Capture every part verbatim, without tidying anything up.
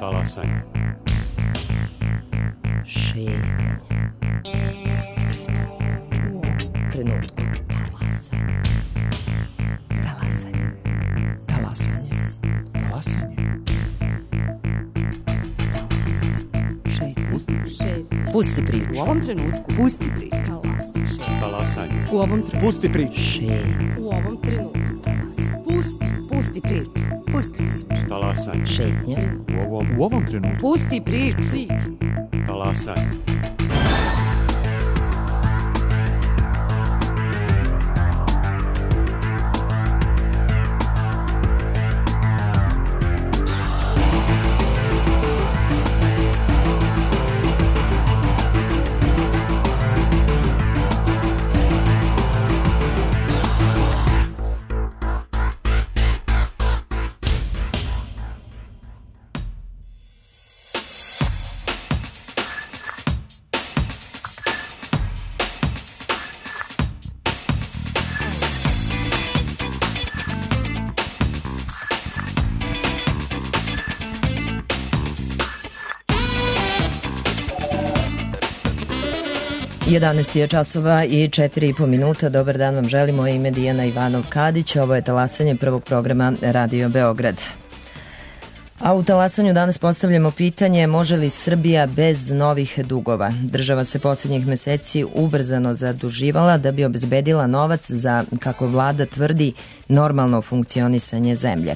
Talasanje. Šetnje. Pusti priču. U ovom trenutku. Talasanje. Talasanje. Talasanje. Šetnje. Pusti priču. U ovom trenutku. Pusti priču. Talasanje. U ovom trenutku. Pusti priču. Šetnje. U ovom trenutku. Pusti. Pusti priču. Pusti priču. Talasanje. Šetnje. U ovom, U ovom trenutku. Pusti priču. Priču. talasanje. jedanaest je časova i četiri i po minuta. Dobar dan vam želimo, ime Dijana Ivanov-Kadić. Ovo je talasanje prvog programa Radio Beograd. A u talasanju danas postavljamo pitanje može li Srbija bez novih dugova? Država se posljednjih meseci ubrzano zaduživala da bi obezbedila novac za, kako vlada tvrdi, normalno funkcionisanje zemlje.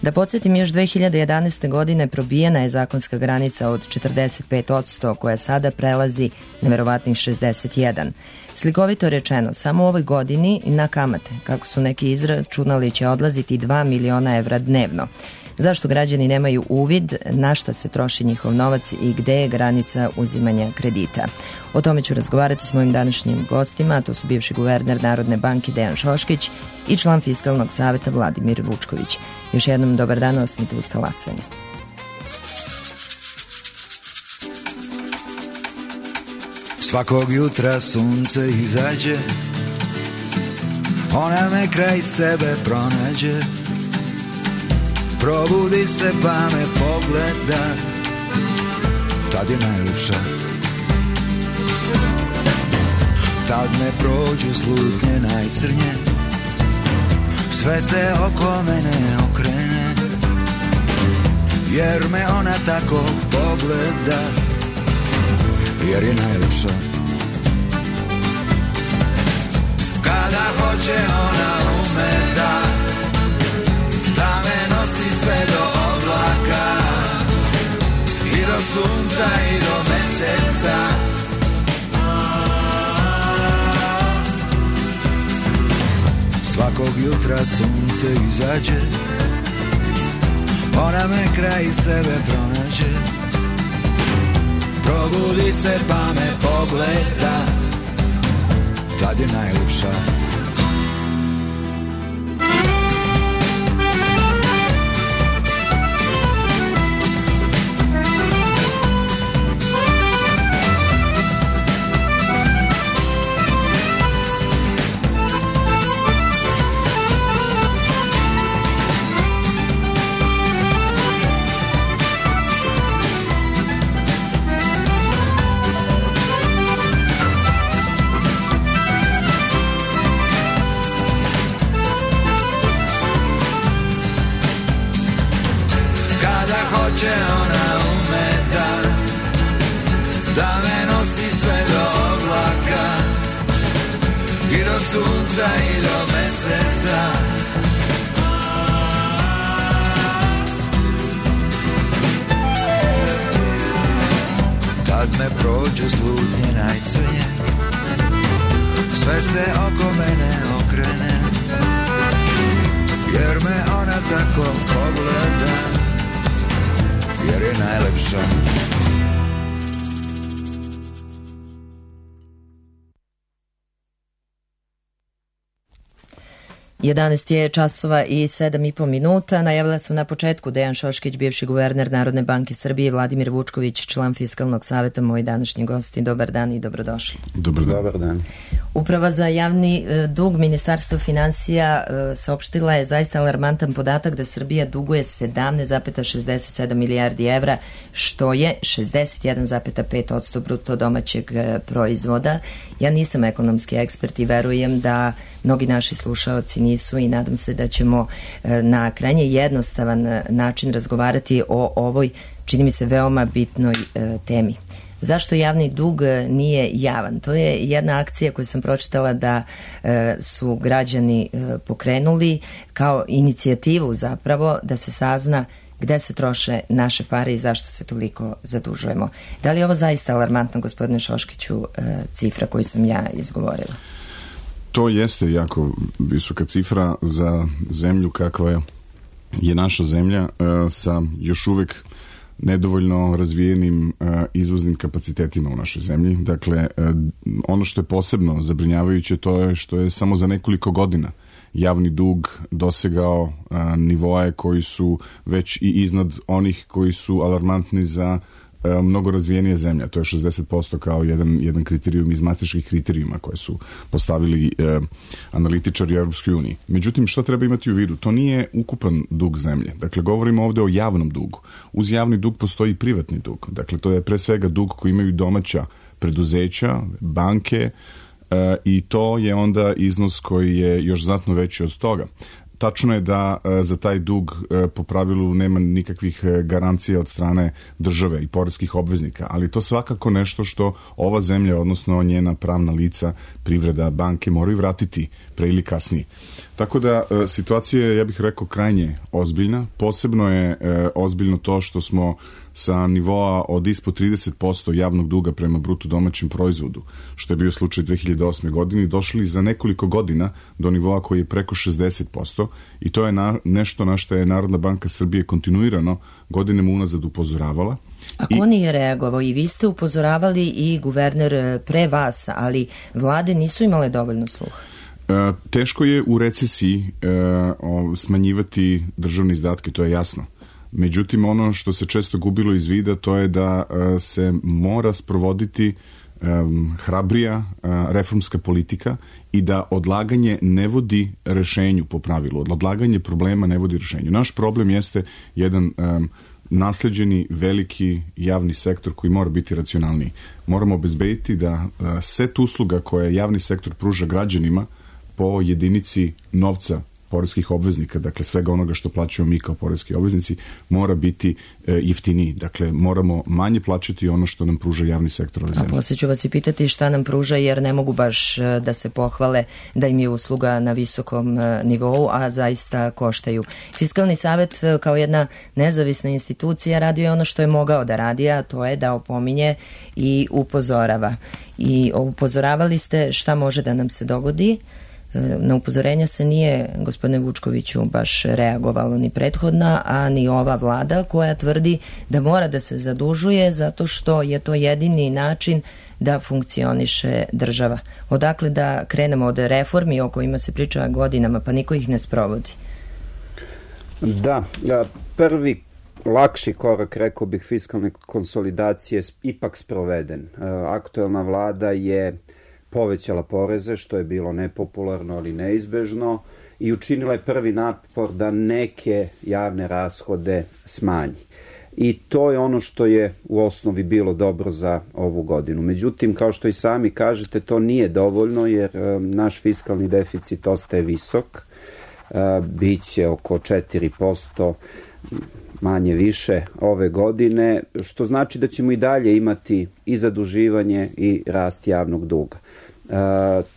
Da podsjetim, još dve hiljade jedanaeste. godine probijena je zakonska granica od četrdeset pet posto koja sada prelazi neverovatnih šezdeset jedan. Slikovito rečeno, samo u ovoj godini na kamate, kako su neki izračunali, će odlaziti dva miliona evra dnevno. Zašto građani nemaju uvid na šta se troši njihov novac i gde je granica uzimanja kredita? O tome ću razgovarati s mojim današnjim gostima, a to su bivši guverner Narodne banke Dejan Šoškić i član Fiskalnog saveta Vladimir Vučković. Još jednom dobar dan, ostanite uz talasanje. Svakog jutra sunce izađe, ona me kraj sebe pronađe. Probudi se pa me pogleda, tad je najljepša. Tad me prođu slutnje najcrnje, sve se oko mene okrene, jer me ona tako pogleda, jer je najljepša. Kada hoće ona ume da da me nosi sve do oblaka i do sunca i do meseca. Svakog jutra sunce izađe, ona me kraj sebe pronađe. Probudi se pa me pogleda, tad je najljepša. Sunca i do meseca. Tad me prođe slutnje najcrnje, sve se oko mene okrene, jer me ona tako pogleda, jer je najlepša. jedanaest je časova i sedam i po minuta. Najavila sam na početku Dejan Šoškić, bivši guverner Narodne banke Srbije, Vladimir Vučković, član Fiskalnog saveta, moji današnji gosti. Dobar dan i dobrodošli. Dobar dan. Dobar dan. Uprava za javni dug Ministarstva finansija saopštila je zaista alarmantan podatak da Srbija duguje sedamnaest zarez šezdeset sedam milijardi evra, što je šezdeset jedan zarez pet posto bruto domaćeg proizvoda. Ja nisam ekonomski ekspert i verujem da mnogi naši slušaoci nisu i nadam se da ćemo na krajnje jednostavan način razgovarati o ovoj, čini mi se, veoma bitnoj temi. Zašto javni dug nije javan? To je jedna akcija koju sam pročitala da e, su građani e, pokrenuli kao inicijativu zapravo da se sazna gde se troše naše pare i zašto se toliko zadužujemo. Da li je ovo zaista alarmantno, gospodine Šoškiću, e, cifra koju sam ja izgovorila? To jeste jako visoka cifra za zemlju kakva je naša zemlja, e, sa još uvek nedovoljno razvijenim uh, izvoznim kapacitetima u našoj zemlji. Dakle, uh, ono što je posebno zabrinjavajuće to je što je samo za nekoliko godina javni dug dosegao uh, nivoe koji su već i iznad onih koji su alarmantni za uh, mnogo razvijenije zemlje. To je šezdeset posto kao jedan, jedan kriterijum iz mastriških kriterijuma koje su postavili uh, analitičari u Europskoj uniji. Međutim, što treba imati u vidu? To nije ukupan dug zemlje. Dakle, govorimo ovde o javnom dugu. Uz javni dug postoji privatni dug. Dakle, to je pre svega dug koji imaju domaća preduzeća, banke, uh, i to je onda iznos koji je još znatno veći od toga. Tačno je da e, za taj dug e, po pravilu nema nikakvih e, garancija od strane države i poreskih obveznika, ali to svakako nešto što ova zemlja, odnosno njena pravna lica, privreda, banke moraju vratiti pre ili kasnije. Tako da e, situacija je, ja bih rekao, krajnje ozbiljna. Posebno je e, ozbiljno to što smo sa nivoa od ispod trideset posto javnog duga prema bruto domaćem proizvodu, što je bio slučaj dve hiljade osme. godine, došli za nekoliko godina do nivoa koji je preko šezdeset posto i to je na, nešto na što je Narodna banka Srbije kontinuirano godinama unazad upozoravala. A ko I... nije reagovao? I vi ste upozoravali i guverner pre vas, ali vlade nisu imale dovoljno sluha. E, teško je u recesiji e, o, smanjivati državne izdatke, to je jasno. Međutim, ono što se često gubilo iz vida to je da uh, se mora sprovoditi um, hrabrija uh, reformska politika i da odlaganje ne vodi rešenju po pravilu. Odlaganje problema ne vodi rešenju. Naš problem jeste jedan um, nasleđeni veliki javni sektor koji mora biti racionalniji. Moramo obezbediti da uh, set usluga koje javni sektor pruža građanima po jedinici novca poreskih obveznika, dakle svega onoga što plaćamo mi kao poreski obveznici, mora biti e, jeftiniji. Dakle, moramo manje plaćati ono što nam pruža javni sektor ove zemlje. A poslije ću vas i pitati šta nam pruža, jer ne mogu baš da se pohvale da im je usluga na visokom nivou, a zaista koštaju. Fiskalni savet kao jedna nezavisna institucija radio je ono što je mogao da radi, a to je da opominje i upozorava. I upozoravali ste šta može da nam se dogodi. Na upozorenja se nije, gospodine Vučkoviću, baš reagovalo ni prethodna, a ni ova vlada koja tvrdi da mora da se zadužuje zato što je to jedini način da funkcioniše država. Odakle da krenemo od reformi o kojima se priča godinama, pa niko ih ne sprovodi? Da, prvi lakši korak, rekao bih, fiskalne konsolidacije ipak sproveden. Aktuelna vlada je povećala poreze, što je bilo nepopularno, ali neizbežno, i učinila je prvi napor da neke javne rashode smanji. I to je ono što je u osnovi bilo dobro za ovu godinu. Međutim, kao što i sami kažete, to nije dovoljno, jer um, naš fiskalni deficit ostaje visok. Uh, biće oko četiri posto manje više ove godine, što znači da ćemo i dalje imati i zaduživanje i rast javnog duga. Uh,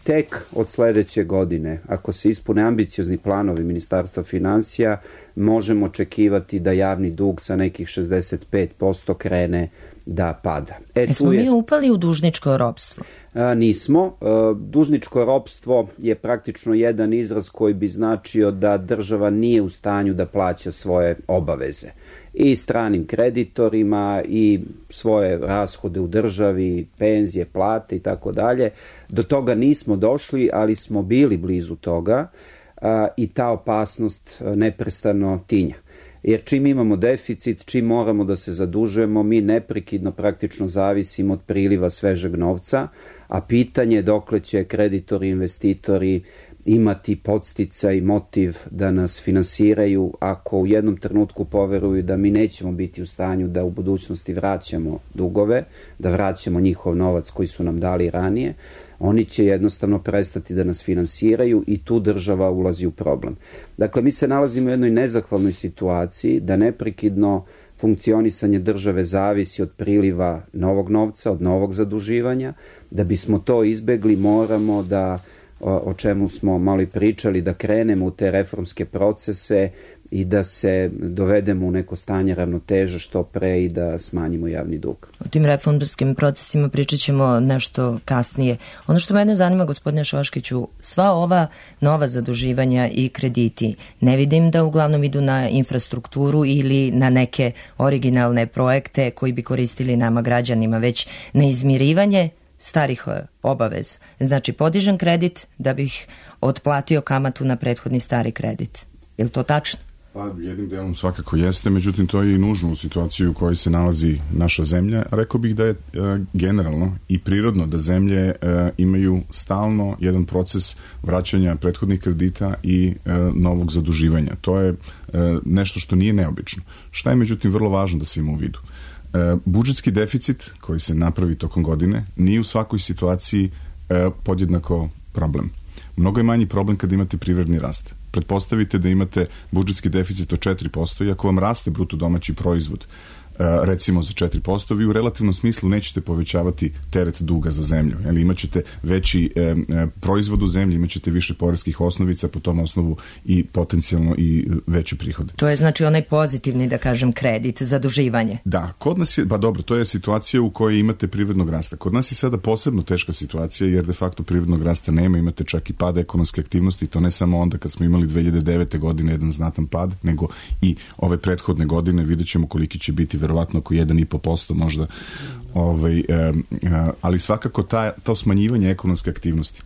tek od sledeće godine, ako se ispune ambiciozni planovi Ministarstva finansija, možemo očekivati da javni dug sa nekih šezdeset pet posto krene da pada. E, Smo je... mi upali u dužničko ropstvo? A, nismo. A, dužničko ropstvo je praktično jedan izraz koji bi značio da država nije u stanju da plaća svoje obaveze. I stranim kreditorima, i svoje rashode u državi, penzije, plate i tako dalje. Do toga nismo došli, ali smo bili blizu toga a, i ta opasnost neprestano tinja. Jer čim imamo deficit, čim moramo da se zadužujemo, mi neprekidno praktično zavisimo od priliva svežeg novca, a pitanje je dokle će kreditori, investitori imati podsticaj, motiv da nas finansiraju ako u jednom trenutku poveruju da mi nećemo biti u stanju da u budućnosti vraćamo dugove, da vraćamo njihov novac koji su nam dali ranije, oni će jednostavno prestati da nas finansiraju i tu država ulazi u problem. Dakle, mi se nalazimo u jednoj nezahvalnoj situaciji da neprekidno funkcionisanje države zavisi od priliva novog novca, od novog zaduživanja. Da bismo to izbegli, moramo da, o čemu smo malo i pričali, da krenemo u te reformske procese i da se dovedemo u neko stanje ravnoteže što pre i da smanjimo javni dug. O tim reformskim procesima pričat ćemo nešto kasnije. Ono što mene zanima, gospodine Šoškiću, sva ova nova zaduživanja i krediti, ne vidim da uglavnom idu na infrastrukturu ili na neke originalne projekte koji bi koristili nama građanima, već na izmirivanje starih obaveza. Znači, podižem kredit da bih otplatio kamatu na prethodni stari kredit. Je li to tačno? Pa jednim delom svakako jeste, međutim to je i nužno u situaciji u kojoj se nalazi naša zemlja. Rekao bih da je e, generalno i prirodno da zemlje e, imaju stalno jedan proces vraćanja prethodnih kredita i e, novog zaduživanja. To je e, nešto što nije neobično. Šta je međutim vrlo važno da se ima u vidu? E, budžetski deficit koji se napravi tokom godine nije u svakoj situaciji e, podjednako problem. Mnogo je manji problem kad imate privredni rast. Pretpostavite da imate budžetski deficit od četiri posto i ako vam raste bruto domaći proizvod recimo za četiri posto, vi u relativnom smislu nećete povećavati teret duga za zemlju. Ili imaćete veći e, e, proizvod u zemlji, imaćete više poreskih osnovica, po tom osnovu i potencijalno i veće prihode. To je znači onaj pozitivni, da kažem, kredit, zaduživanje. Da, kod nas je, pa dobro, to je situacija u kojoj imate privrednog rasta. Kod nas je sada posebno teška situacija jer de facto privrednog rasta nema, imate čak i pad ekonomske aktivnosti, to ne samo onda kad smo imali dve hiljade devete. godine jedan znatan pad, nego i ove prethodne godine, vidjet ćemo koliki će biti verovatno oko jedan i po posto možda, ovaj, e, e, ali svakako ta, to smanjivanje ekonomske aktivnosti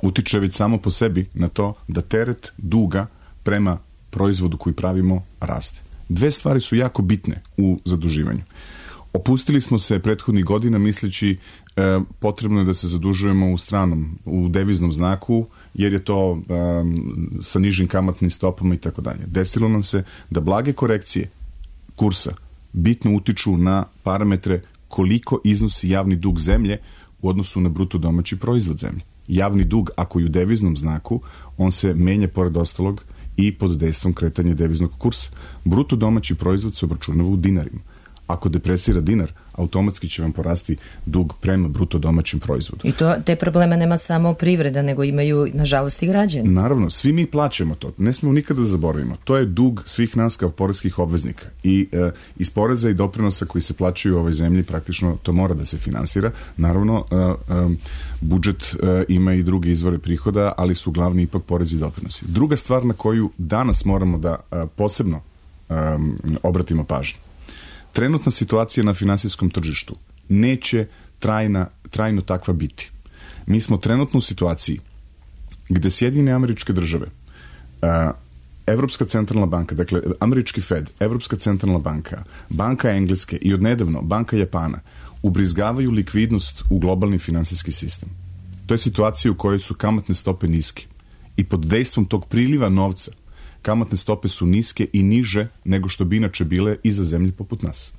utiče već samo po sebi na to da teret duga prema proizvodu koji pravimo raste. Dve stvari su jako bitne u zaduživanju. Opustili smo se prethodnih godina misleći e, potrebno je da se zadužujemo u stranom, u deviznom znaku, jer je to e, sa nižim kamatnim stopama i tako dalje. Desilo nam se da blage korekcije kursa bitno utiču na parametre koliko iznosi javni dug zemlje u odnosu na bruto domaći proizvod zemlje. Javni dug, ako je u deviznom znaku, on se menja pored ostalog i pod dejstvom kretanja deviznog kursa. Bruto domaći proizvod se obračunava u dinarima. Ako depresira dinar, automatski će vam porasti dug prema bruto domaćem proizvodu. I to, te probleme nema samo privreda, nego imaju, nažalost, i građani. Naravno, svi mi plaćamo to. Ne smemo nikada da zaboravimo. To je dug svih nas kao poreskih obveznika. I e, iz poreza i doprinosa koji se plaćaju u ovoj zemlji, praktično to mora da se finansira. Naravno, e, e, budžet e, ima i druge izvore prihoda, ali su glavni ipak porezi i doprinosi. Druga stvar na koju danas moramo da e, posebno e, obratimo pažnju. Trenutna situacija na finansijskom tržištu neće trajna, trajno takva biti. Mi smo trenutno u situaciji gde Sjedinjene Američke Države, Evropska centralna banka, dakle američki Fed, Evropska centralna banka, Banka Engleske i odnedavno Banka Japana ubrizgavaju likvidnost u globalni finansijski sistem. To je situacija u kojoj su kamatne stope niske i pod dejstvom tog priliva novca kamatne stope su niske i niže nego što bi inače bile i za zemlje poput nas.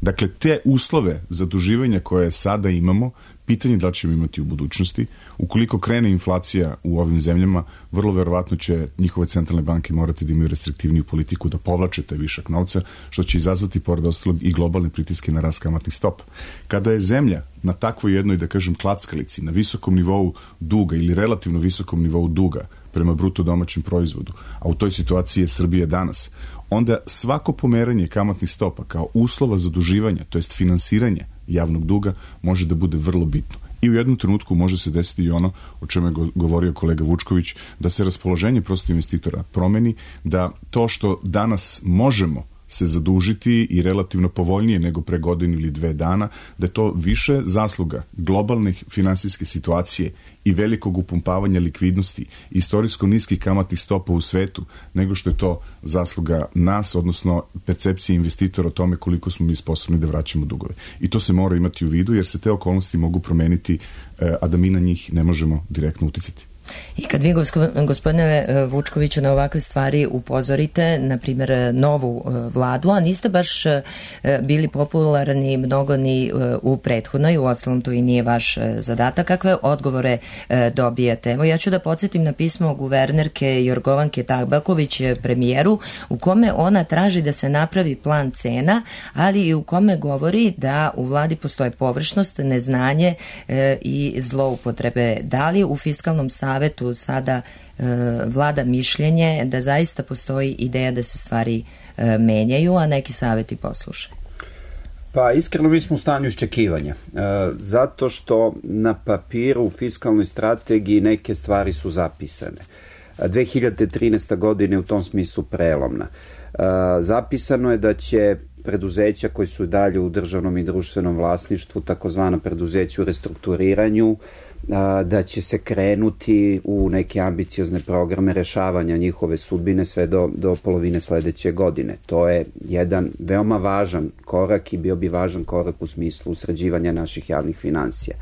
Dakle, te uslove zaduživanja koje sada imamo, pitanje da li ćemo imati u budućnosti. Ukoliko krene inflacija u ovim zemljama, vrlo verovatno će njihove centralne banke morati da imaju restriktivniju politiku, da povlače taj višak novca, što će izazvati pored ostalog i globalne pritiske na rast kamatnih stopa. Kada je zemlja na takvoj jednoj, da kažem, klackalici, na visokom nivou duga ili relativno visokom nivou duga prema bruto domaćem proizvodu, a u toj situaciji je Srbija danas, onda svako pomeranje kamatnih stopa kao uslova zaduživanja, to jest finansiranja javnog duga, može da bude vrlo bitno. I u jednom trenutku može se desiti i ono o čemu je govorio kolega Vučković, da se raspoloženje prosto investitora promeni, da to što danas možemo se zadužiti i relativno povoljnije nego pre godinu ili dve dana, da je to više zasluga globalnih finansijske situacije i velikog upumpavanja likvidnosti, istorijsko niskih kamatnih stopa u svetu, nego što je to zasluga nas, odnosno percepcije investitora o tome koliko smo mi sposobni da vraćamo dugove. I to se mora imati u vidu, jer se te okolnosti mogu promeniti, a da mi na njih ne možemo direktno uticati. I kad vi, gospodine Vučkoviću, na ovakve stvari upozorite, na primjer, novu vladu, a niste baš bili popularni mnogo ni u prethodnoj, u ostalom to i nije vaš zadatak, kakve odgovore dobijete? Evo, ja ću da podsjetim na pismo guvernerke Jorgovanke Tabaković premijeru, u kome ona traži da se napravi plan cena, ali i u kome govori da u vladi postoje površnost, neznanje i zloupotrebe. Da li u fiskalnom savjetu Savetu sada e, vlada mišljenje da zaista postoji ideja da se stvari e, menjaju, a neki saveti poslušaju? Pa iskreno mi smo u stanju iščekivanja, e, zato što na papiru u fiskalnoj strategiji neke stvari su zapisane. dve hiljade trinaesta godine u tom smislu prelomna. E, zapisano je da će preduzeća koji su dalje u državnom i društvenom vlasništvu, takozvana preduzeća u restrukturiranju, da će se krenuti u neke ambiciozne programe rešavanja njihove sudbine sve do, do polovine sledeće godine. To je jedan veoma važan korak i bio bi važan korak u smislu sređivanja naših javnih finansija.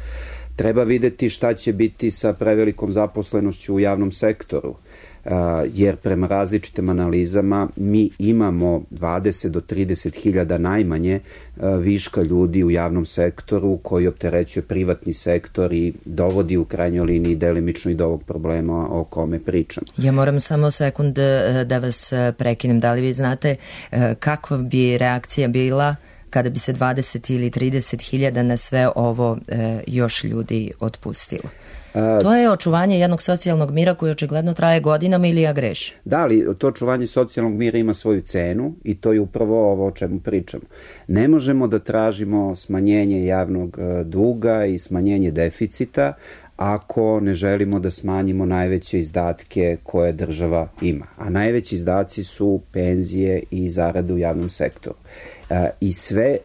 Treba videti šta će biti sa prevelikom zaposlenošću u javnom sektoru, jer prema različitim analizama mi imamo dvadeset do trideset hiljada najmanje viška ljudi u javnom sektoru koji opterećuje privatni sektor i dovodi u krajnjoj liniji delimično i do ovog problema o kome pričam. Ja moram samo sekund da vas prekinem. Da li vi znate kakva bi reakcija bila kada bi se dvadeset ili trideset hiljada na sve ovo još ljudi otpustilo? To je očuvanje jednog socijalnog mira koji očigledno traje godinama, ili ja grešim? Da, ali to očuvanje socijalnog mira ima svoju cenu i to je upravo ovo o čemu pričamo. Ne možemo da tražimo smanjenje javnog duga i smanjenje deficita ako ne želimo da smanjimo najveće izdatke koje država ima. A najveći izdaci su penzije i zarade u javnom sektoru. I sve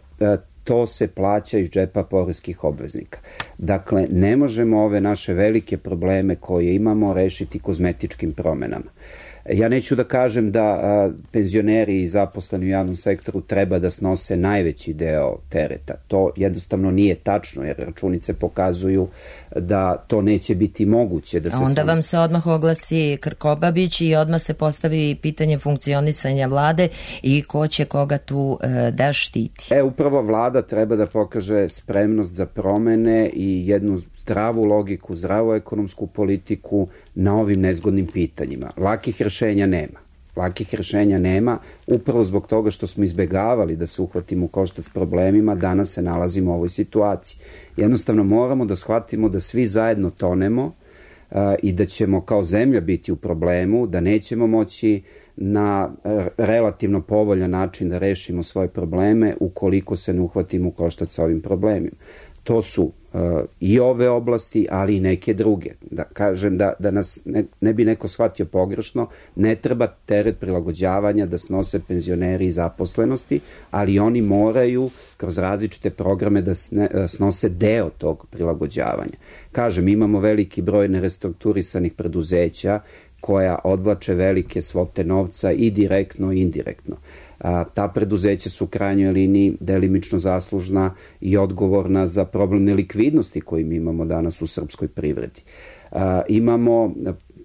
to se plaća iz džepa poreskih obveznika. Dakle, ne možemo ove naše velike probleme koje imamo rešiti kozmetičkim promenama. Ja neću da kažem da a, penzioneri i zaposleni u javnom sektoru treba da snose najveći deo tereta. To jednostavno nije tačno, jer računice pokazuju da to neće biti moguće. Da se A onda sam... vam se odmah oglasi Krkobabić i odmah se postavi pitanje funkcionisanja vlade i ko će koga tu e, da štiti. E, upravo vlada treba da pokaže spremnost za promene i jednu zdravu logiku, zdravu ekonomsku politiku na ovim nezgodnim pitanjima. Lakih rešenja nema. Lakih rešenja nema, upravo zbog toga što smo izbegavali da se uhvatimo u koštac s problemima, danas se nalazimo u ovoj situaciji. Jednostavno moramo da shvatimo da svi zajedno tonemo uh, i da ćemo kao zemlja biti u problemu, da nećemo moći na relativno povoljan način da rešimo svoje probleme ukoliko se ne uhvatimo u koštac sa ovim problemima. To su uh, i ove oblasti, ali i neke druge. Da kažem da, da nas ne, ne bi neko shvatio pogrešno, ne treba teret prilagođavanja da snose penzioneri i zaposlenosti, ali oni moraju kroz različite programe da snose deo tog prilagođavanja. Kažem, imamo veliki broj nerestrukturisanih preduzeća koja odvlače velike svote novca i direktno i indirektno. A, ta preduzeća su u krajnjoj liniji delimično zaslužna i odgovorna za problem nelikvidnosti koji mi imamo danas u srpskoj privredi. A, imamo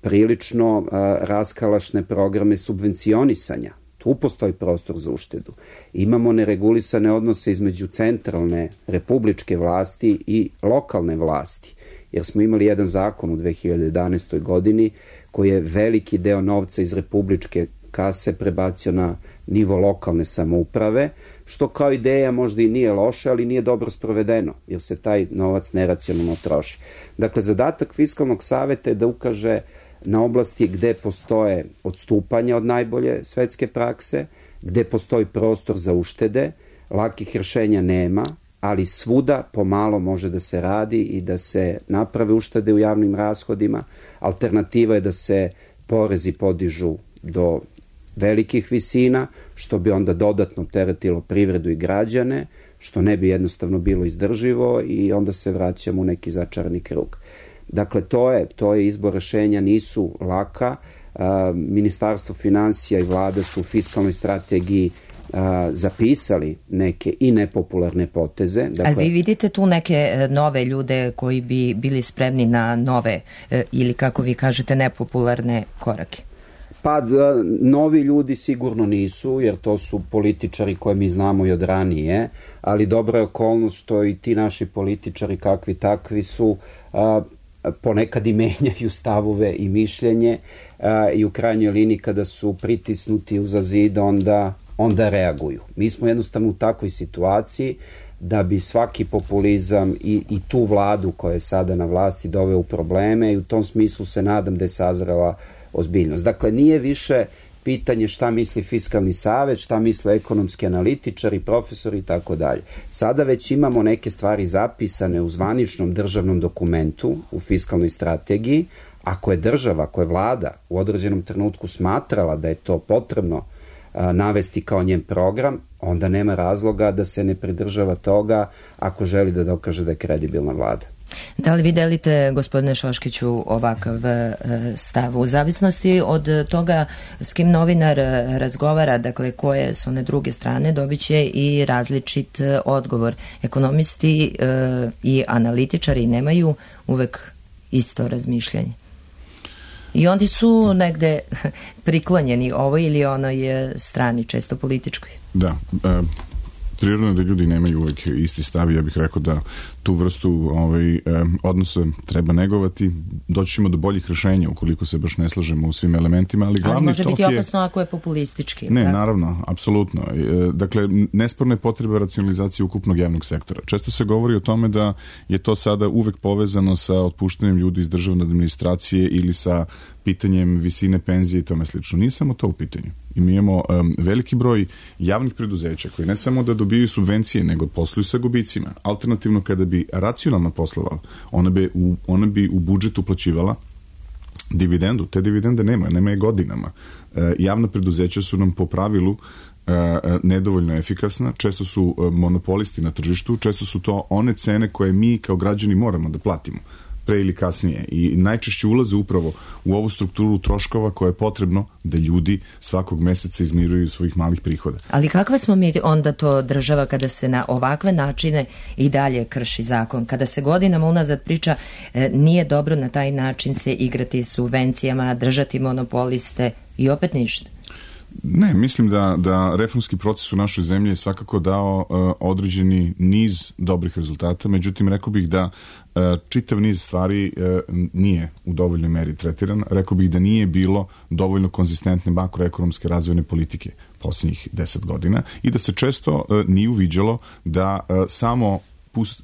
prilično a, raskalašne programe subvencionisanja. Tu postoji prostor za uštedu. Imamo neregulisane odnose između centralne republičke vlasti i lokalne vlasti, jer smo imali jedan zakon u dve hiljade jedanaestoj godini koji je veliki deo novca iz republičke kase prebacio na nivo lokalne samouprave, što kao ideja možda i nije loše, ali nije dobro sprovedeno, jer se taj novac neracionalno troši. Dakle, zadatak Fiskalnog saveta je da ukaže na oblasti gde postoje odstupanja od najbolje svetske prakse, gde postoji prostor za uštede, lakih rešenja nema, ali svuda pomalo može da se radi i da se naprave uštede u javnim rashodima. Alternativa je da se porezi podižu do velikih visina, što bi onda dodatno teretilo privredu i građane, što ne bi jednostavno bilo izdrživo i onda se vraćamo u neki začarani krug. Dakle, to je, to je izbor rešenja, nisu laka. Ministarstvo finansija i vlada su u fiskalnoj strategiji a, zapisali neke i nepopularne poteze. Dakle, ali vi vidite tu neke nove ljude koji bi bili spremni na nove ili, kako vi kažete, nepopularne korake? Pa novi ljudi sigurno nisu, jer to su političari koje mi znamo i od ranije, ali dobra je okolnost što i ti naši političari, kakvi takvi su, a, ponekad i menjaju stavove i mišljenje a, i u krajnjoj liniji kada su pritisnuti uza zid onda, onda reaguju. Mi smo jednostavno u takvoj situaciji da bi svaki populizam i, i tu vladu koja je sada na vlasti doveo u probleme i u tom smislu se nadam da je sazrela ozbiljnost. Dakle, nije više pitanje šta misli Fiskalni savet, šta misle ekonomski analitičari, profesori i tako dalje. Sada već imamo neke stvari zapisane u zvaničnom državnom dokumentu, u fiskalnoj strategiji. Ako je država, ako je vlada u određenom trenutku smatrala da je to potrebno a, navesti kao njen program, onda nema razloga da se ne pridržava toga ako želi da dokaže da je kredibilna vlada. Da li vi delite, gospodine Šoškiću, ovakav e, stav? U zavisnosti od toga s kim novinar razgovara, dakle koje su one druge strane, dobit će i različit odgovor. Ekonomisti e, i analitičari nemaju uvek isto razmišljanje. I oni su negde priklonjeni ovoj ili onoj strani, često političkoj. Da, e, prirodno je da ljudi nemaju uvek isti stav. Ja bih rekao da tu vrstu ovaj, eh, odnosa treba negovati. Doći ćemo do boljih rešenja ukoliko se baš ne slažemo u svim elementima, ali glavni ali može tok biti je... opasno ako je populistički. Ne, tako? Naravno, apsolutno. E, dakle, nesporna je potreba racionalizacije ukupnog javnog sektora. Često se govori o tome da je to sada uvek povezano sa otpuštanjem ljudi iz državne administracije ili sa pitanjem visine penzije i tome slično. Nije samo to u pitanju. I mi imamo um, veliki broj javnih preduzeća koji ne samo da dobijaju subvencije, nego posluju sa gubicima. Alternativno, kada bi racionalno poslovala, ona bi u, ona bi u budžet uplaćivala dividendu. Te dividende nema, nema je godinama. E, javna preduzeća su nam po pravilu e, nedovoljno efikasna, često su e, monopolisti na tržištu, često su to one cene koje mi kao građani moramo da platimo pre ili kasnije i najčešće ulaze upravo u ovu strukturu troškova koje je potrebno da ljudi svakog meseca izmiruju svojih malih prihoda. Ali kakva smo mi onda to država kada se na ovakve načine i dalje krši zakon? Kada se godinama unazad priča e, nije dobro na taj način se igrati subvencijama, držati monopoliste i opet ništa? Ne, mislim da, da reformski proces u našoj zemlji je svakako dao uh, određeni niz dobrih rezultata, međutim rekao bih da uh, čitav niz stvari uh, nije u dovoljnoj meri tretiran. Rekao bih da nije bilo dovoljno konzistentne makroekonomske razvojne politike posljednjih deset godina i da se često uh, nije uviđalo da uh, samo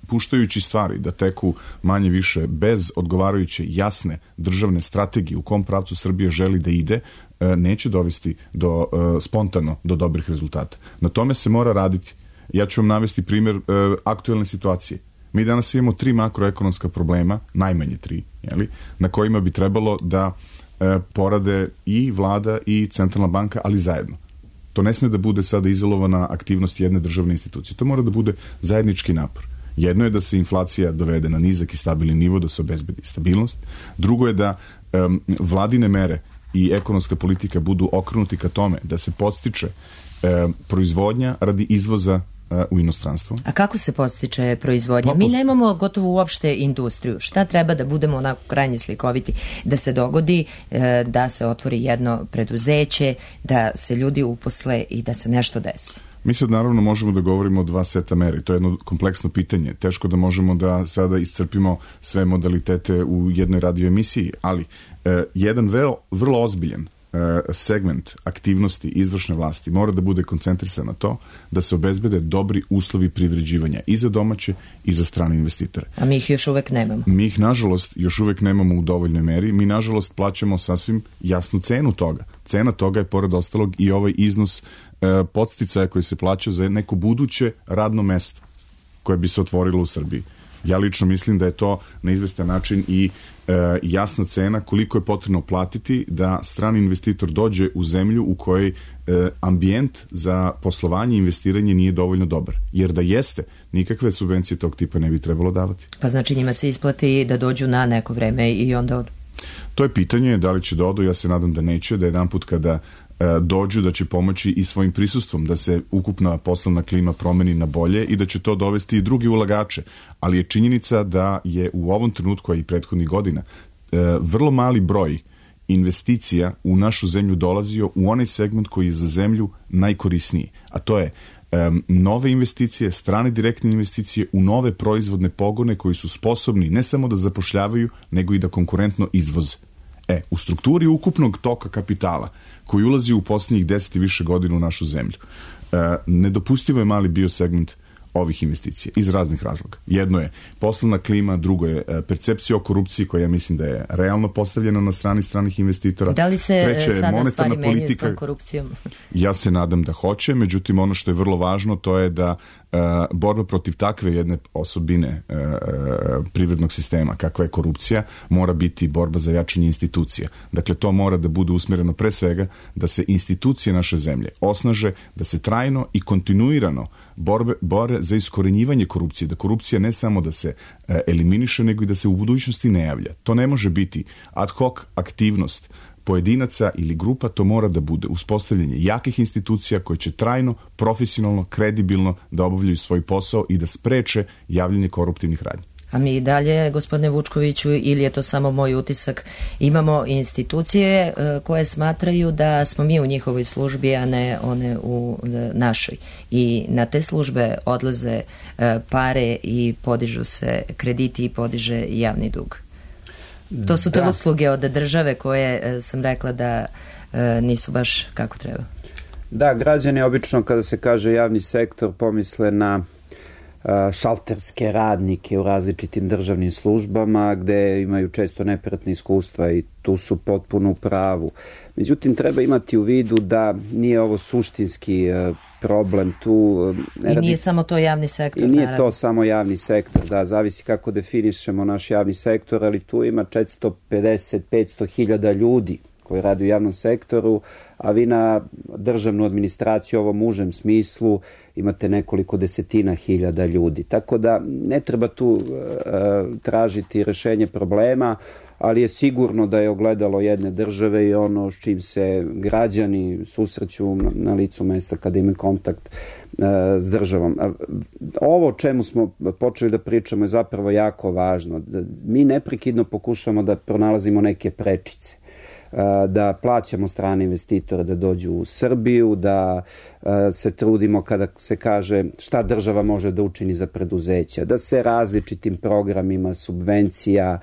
puštajući stvari da teku manje više bez odgovarajuće jasne državne strategije u kom pravcu Srbija želi da ide, neće dovesti do, spontano do dobrih rezultata. Na tome se mora raditi. Ja ću vam navesti primjer aktuelne situacije. Mi danas imamo tri makroekonomska problema, najmanje tri, jeli, na kojima bi trebalo da porade i vlada i centralna banka, ali zajedno. To ne sme da bude sada izolovana aktivnost jedne državne institucije. To mora da bude zajednički napor. Jedno je da se inflacija dovede na nizak i stabilni nivo, da se obezbedi stabilnost. Drugo je da um, vladine mere i ekonomska politika budu okrenuti ka tome da se podstiče um, proizvodnja radi izvoza uh, u inostranstvo. A kako se podstiče proizvodnja? Mi nemamo gotovo uopšte industriju. Šta treba da budemo onako krajnje slikoviti? Da se dogodi uh, da se otvori jedno preduzeće, da se ljudi uposle i da se nešto desi? Mi sad naravno možemo da govorimo o dva seta mere. To je jedno kompleksno pitanje. Teško da možemo da sada iscrpimo sve modalitete u jednoj radio emisiji, ali eh, jedan vrlo, vrlo ozbiljan eh, segment aktivnosti izvršne vlasti mora da bude koncentrisan na to da se obezbede dobri uslovi privređivanja i za domaće i za strane investitore. A mi ih još uvek nemamo. Mi ih, nažalost, još uvek nemamo u dovoljnoj meri. Mi, nažalost, plaćamo sasvim jasnu cenu toga. Cena toga je, pored ostalog, i ovaj iznos podsticaja koji se plaća za neko buduće radno mesto koje bi se otvorilo u Srbiji. Ja lično mislim da je to na izvestan način i e, jasna cena koliko je potrebno platiti da strani investitor dođe u zemlju u kojoj e, ambijent za poslovanje i investiranje nije dovoljno dobar. Jer da jeste, nikakve subvencije tog tipa ne bi trebalo davati. Pa znači njima se isplati da dođu na neko vreme i onda odu? To je pitanje, da li će da odu, ja se nadam da neće, da jedan put kada dođu da će pomoći i svojim prisustvom da se ukupna poslovna klima promeni na bolje i da će to dovesti i drugi ulagače. Ali je činjenica da je u ovom trenutku, a i prethodnih godina, vrlo mali broj investicija u našu zemlju dolazio u onaj segment koji je za zemlju najkorisniji. A to je nove investicije, strane direktne investicije u nove proizvodne pogone koji su sposobni ne samo da zapošljavaju, nego i da konkurentno izvoze. E, u strukturi ukupnog toka kapitala koji ulazi u posljednjih deset i više godina u našu zemlju, e, nedopustivo je mali bio segment ovih investicija iz raznih razloga. Jedno je poslovna klima, drugo je percepcija o korupciji koja ja mislim da je realno postavljena na strani stranih investitora. Da li se Treće, sada stvari menjaju politika, s tom korupcijom? Ja se nadam da hoće, međutim ono što je vrlo važno to je da uh, borba protiv takve jedne osobine uh, privrednog sistema kakva je korupcija mora biti borba za jačanje institucija. Dakle, to mora da bude usmjereno pre svega da se institucije naše zemlje osnaže, da se trajno i kontinuirano borbe, bore za iskorenjivanje korupcije, da korupcija ne samo da se uh, eliminiše, nego i da se u budućnosti ne javlja. To ne može biti ad hoc aktivnost pojedinaca ili grupa, to mora da bude uspostavljanje jakih institucija koje će trajno, profesionalno, kredibilno da obavljaju svoj posao i da spreče javljanje koruptivnih radnji. A mi i dalje, gospodine Vučkoviću, ili je to samo moj utisak, imamo institucije koje smatraju da smo mi u njihovoj službi, a ne one u našoj. I na te službe odlaze pare i podižu se krediti i podiže javni dug. To su te da. usluge od države koje sam rekla da e, nisu baš kako treba. Da, građani obično kada se kaže javni sektor pomisle na a, šalterske radnike u različitim državnim službama gde imaju često neprijatne iskustva i tu su potpuno u pravu. Međutim, treba imati u vidu da nije ovo suštinski a, problem tu. I nije samo to javni sektor. I nije naravno. to samo javni sektor, da, zavisi kako definišemo naš javni sektor, ali tu ima četiristo pedeset do petsto hiljada ljudi koji rade u javnom sektoru, a vi na državnu administraciju u ovom užem smislu imate nekoliko desetina hiljada ljudi. Tako da ne treba tu uh, tražiti rešenje problema, ali je sigurno da je ogledalo jedne države i ono s čim se građani susreću na licu mesta kada imaju kontakt uh, s državom. Ovo o čemu smo počeli da pričamo je zapravo jako važno. Mi neprekidno pokušamo da pronalazimo neke prečice, da plaćamo strane investitore da dođu u Srbiju, da se trudimo kada se kaže šta država može da učini za preduzeća, da se različitim programima subvencija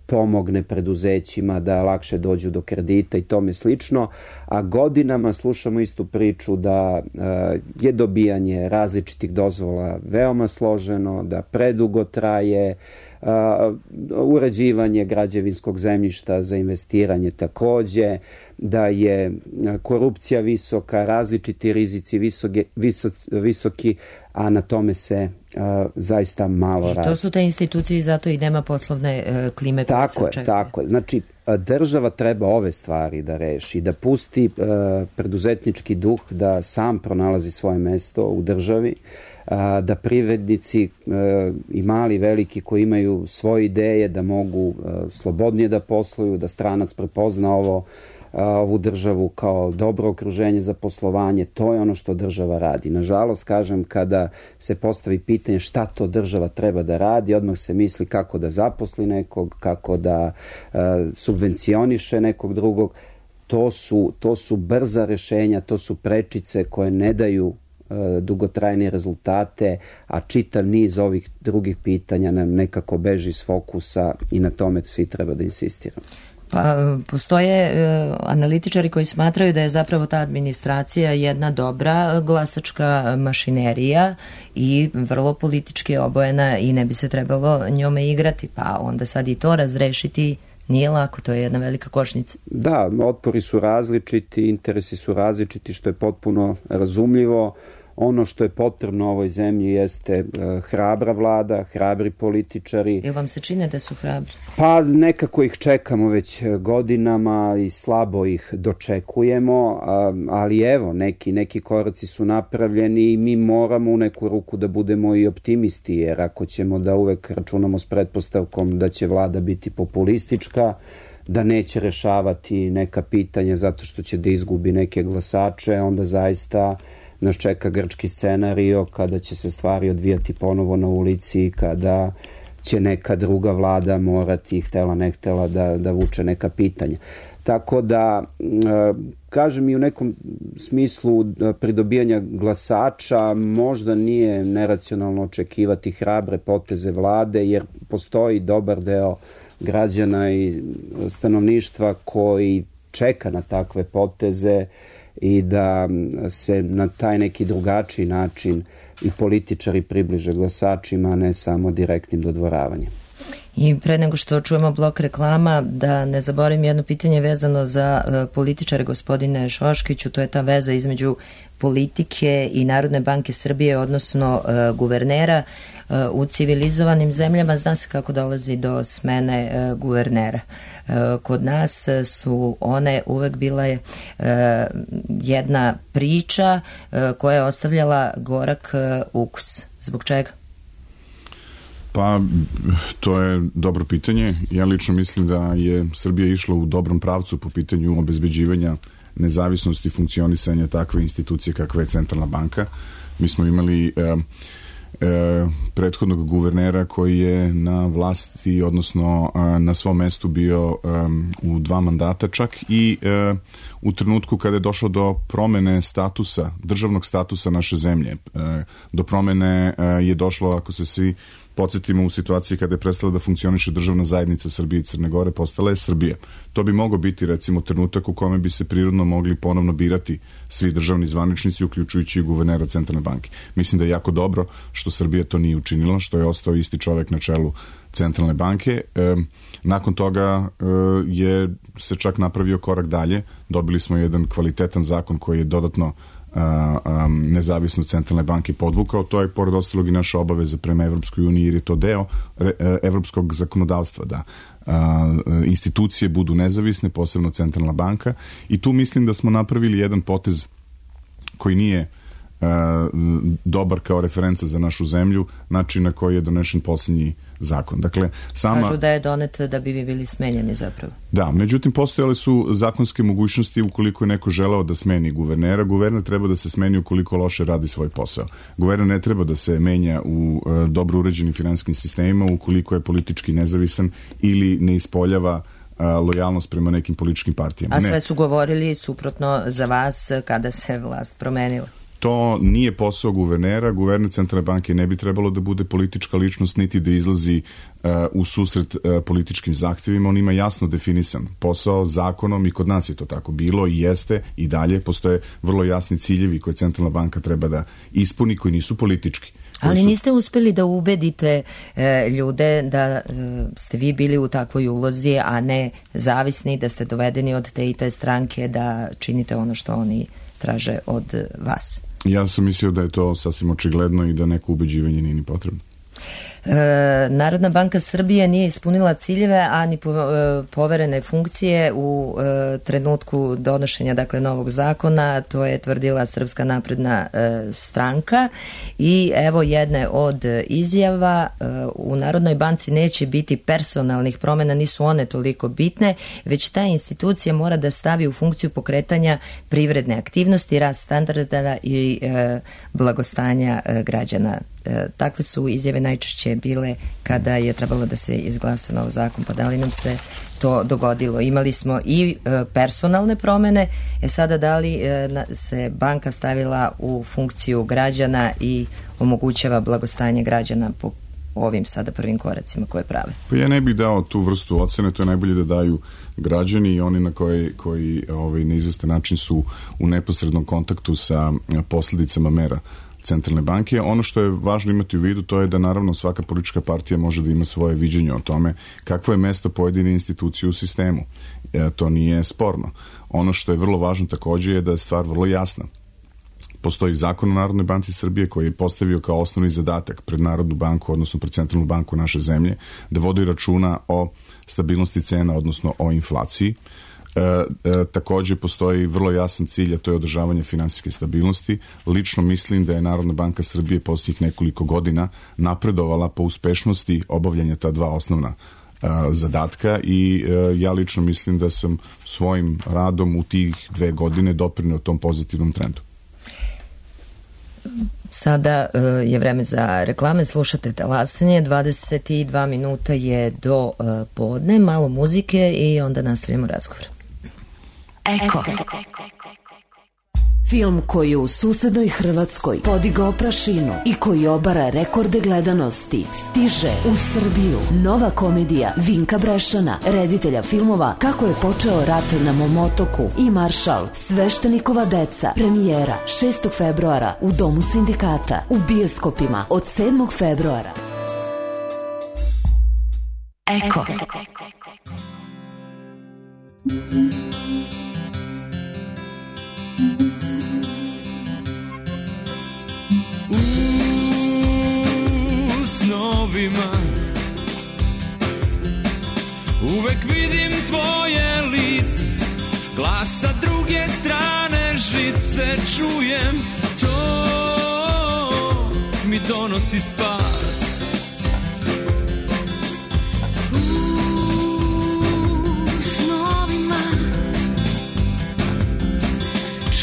pomogne preduzećima da lakše dođu do kredita i tome slično, a godinama slušamo istu priču da je dobijanje različitih dozvola veoma složeno, da predugo traje, Uh, uređivanje građevinskog zemljišta za investiranje takođe, da je korupcija visoka, različiti rizici visoke, viso, visoki, a na tome se uh, zaista malo radi. I to su te institucije i zato i nema poslovne uh, klime koje se očekuje. Tako je, znači država treba ove stvari da reši, da pusti uh, preduzetnički duh, da sam pronalazi svoje mesto u državi, da privrednici i mali, veliki koji imaju svoje ideje da mogu slobodnije da posluju, da stranac prepozna ovo, ovu državu kao dobro okruženje za poslovanje, to je ono što država radi. Nažalost, kažem, kada se postavi pitanje šta to država treba da radi, odmah se misli kako da zaposli nekog, kako da subvencioniše nekog drugog. To su, to su brza rešenja, to su prečice koje ne daju dugotrajne rezultate, a čitav niz ovih drugih pitanja nam nekako beži iz fokusa i na tome svi treba da insistiramo. Pa postoje uh, analitičari koji smatraju da je zapravo ta administracija jedna dobra glasačka mašinerija i vrlo politički obojena i ne bi se trebalo njome igrati, pa onda sad i to razrešiti nije lako, to je jedna velika kočnica. Da, otpori su različiti, interesi su različiti, što je potpuno razumljivo. Ono što je potrebno ovoj zemlji jeste hrabra vlada, hrabri političari. Jel vam se čine da su hrabri? Pa nekako ih čekamo već godinama i slabo ih dočekujemo, ali evo, neki, neki koraci su napravljeni i mi moramo u neku ruku da budemo i optimisti, jer ako ćemo da uvek računamo s pretpostavkom da će vlada biti populistička, da neće rešavati neka pitanja zato što će da izgubi neke glasače, onda zaista nas čeka grčki scenario kada će se stvari odvijati ponovo na ulici, kada će neka druga vlada morati, htela ne htela, da, da vuče neka pitanja. Tako da, kažem, i u nekom smislu pridobijanja glasača možda nije neracionalno očekivati hrabre poteze vlade, jer postoji dobar deo građana i stanovništva koji čeka na takve poteze i da se na taj neki drugačiji način i političari približe glasačima, a ne samo direktnim dodvoravanjem. I pre nego što čujemo blok reklama, da ne zaboravim jedno pitanje vezano za uh, političare, gospodine Šoškiću, to je ta veza između politike i Narodne banke Srbije, odnosno uh, guvernera. Uh, u civilizovanim zemljama zna se kako dolazi do smene uh, guvernera. Uh, kod nas su one uvek bile uh, jedna priča uh, koja je ostavljala gorak uh, ukus. Zbog čega? Pa, to je dobro pitanje. Ja lično mislim da je Srbija išla u dobrom pravcu po pitanju obezbeđivanja nezavisnosti funkcionisanja takve institucije kakva je Centralna banka. Mi smo imali e, e, prethodnog guvernera koji je na vlasti, odnosno e, na svom mestu bio e, u dva mandata čak i e, u trenutku kada je došlo do promene statusa, državnog statusa naše zemlje. E, do promene e, je došlo, ako se svi podsjetimo, u situaciji kada je prestala da funkcioniše državna zajednica Srbije i Crne Gore, postala je Srbija. To bi mogao biti, recimo, trenutak u kome bi se prirodno mogli ponovno birati svi državni zvaničnici, uključujući i guvernera Centralne banke. Mislim da je jako dobro što Srbija to nije učinila, što je ostao isti čovek na čelu Centralne banke. E, nakon toga e, je se čak napravio korak dalje. Dobili smo jedan kvalitetan zakon koji je dodatno Um, nezavisnost Centralne banke podvukao. To je pored ostalog i naša obaveza prema Evropskoj uniji, jer je to deo re, evropskog zakonodavstva, da uh, institucije budu nezavisne, posebno Centralna banka, i tu mislim da smo napravili jedan potez koji nije uh, dobar kao referenca za našu zemlju, način na koji je donešen posljednji zakon. Dakle, sama... Kažu da je donet da bi vi bili smenjeni zapravo. Da, međutim, postojale su zakonske mogućnosti ukoliko je neko želeo da smeni guvernera. Guverner treba da se smeni ukoliko loše radi svoj posao. Guverner ne treba da se menja u e, dobro uređenim finansijskim sistemima ukoliko je politički nezavisan ili ne ispoljava a, lojalnost prema nekim političkim partijama. A sve su govorili suprotno za vas kada se vlast promenila. To nije posao guvernera. Guverner Centralne banke ne bi trebalo da bude politička ličnost, niti da izlazi uh, u susret uh, političkim zahtjevima. On ima jasno definisan posao zakonom i kod nas je to tako bilo i jeste i dalje. Postoje vrlo jasni ciljevi koje Centralna banka treba da ispuni, koji nisu politički. Ali su... niste uspeli da ubedite e, ljude da e, ste vi bili u takvoj ulozi, a ne zavisni, da ste dovedeni od te i te stranke da činite ono što oni traže od vas. Ja sam mislio da je to sasvim očigledno i da neko ubeđivanje nije ni potrebno. E, Narodna banka Srbije nije ispunila ciljeve, a ni po, e, poverene funkcije u e, trenutku donošenja, dakle, novog zakona. To je tvrdila Srpska napredna e, stranka i evo jedne od izjava. E, u Narodnoj banci neće biti personalnih promjena, nisu one toliko bitne, već ta institucija mora da stavi u funkciju pokretanja privredne aktivnosti, rast standarda i e, blagostanja e, građana. E, takve su izjave najčešće bile kada je trebalo da se izglasa nov zakon, pa da li nam se to dogodilo? Imali smo i e, personalne promene, e sada da li e, na, se banka stavila u funkciju građana i omogućava blagostanje građana po ovim sada prvim koracima koje prave? Pa ja ne bih dao tu vrstu ocene, to je najbolje da daju građani i oni na koji, koji ovaj, na izvestan način su u neposrednom kontaktu sa posljedicama mera Centralne banke. Ono što je važno imati u vidu, to je da naravno svaka politička partija može da ima svoje viđenje o tome kakvo je mesto pojedine institucije u sistemu. E, to nije sporno. Ono što je vrlo važno također je da je stvar vrlo jasna. postoji zakon o Narodnoj banci Srbije koji je postavio kao osnovni zadatak pred Narodnu banku, odnosno pred Centralnu banku naše zemlje, da vodi računa o stabilnosti cena, odnosno o inflaciji. E, e, takođe postoji vrlo jasan cilj, a to je održavanje finansijske stabilnosti. Lično mislim da je Narodna banka Srbije posljednjih nekoliko godina napredovala po uspešnosti obavljanja ta dva osnovna a, zadatka i a, ja lično mislim da sam svojim radom u tih dve godine doprineo tom pozitivnom trendu. Sada uh, je vreme za reklame, slušate Talasanje, dvadeset dva minuta je do uh, podne, malo muzike i onda nastavljamo razgovor. Eko. Film koji je u susednoj Hrvatskoj podigao prašinu i koji obara rekorde gledanosti stiže u Srbiju. Nova komedija Vinka Brešana, reditelja filmova Kako je počeo rat na mom otoku i Maršal, Sveštenikova deca. Premijera šestog februara u Domu sindikata, u bioskopima od sedmog februara. Eko. U snovima uvek vidim tvoje lice, glas sa druge strane žice čujem, to mi donosi spas. U snovima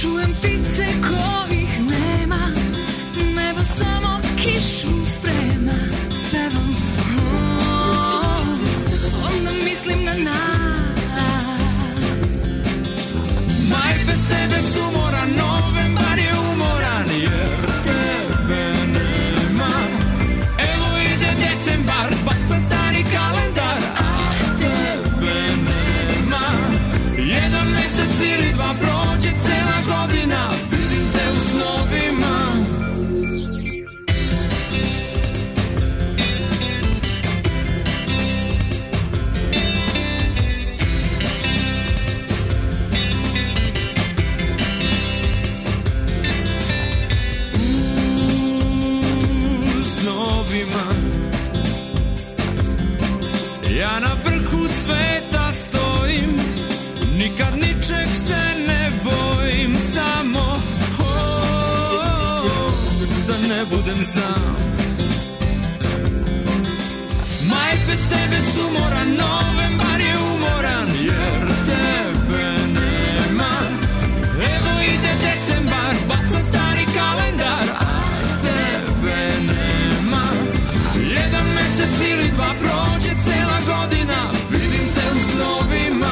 čujem ptice kojih nema, nebo samo kišu sprema, pevam, oh, onda mislim na nas. Maj bez tebe sumoran, novembar je umoran, jer tebe nema. Evo ide decembar, bacam stari kalendar, a tebe nema. Jedan mesec ili dva prođe cela godina, vidim te u snovima. Ja na vrhu sveta stojim, nikad ničeg se ne bojim, samo oh, da ne budem sam. Maj bez tebe sumoran, novembar je umoran, jer tebe nema. Evo ide decembar, bacam stari kalendar, a tebe nema. Jedan mesec ili dva prođe cela godina, vidim te u snovima.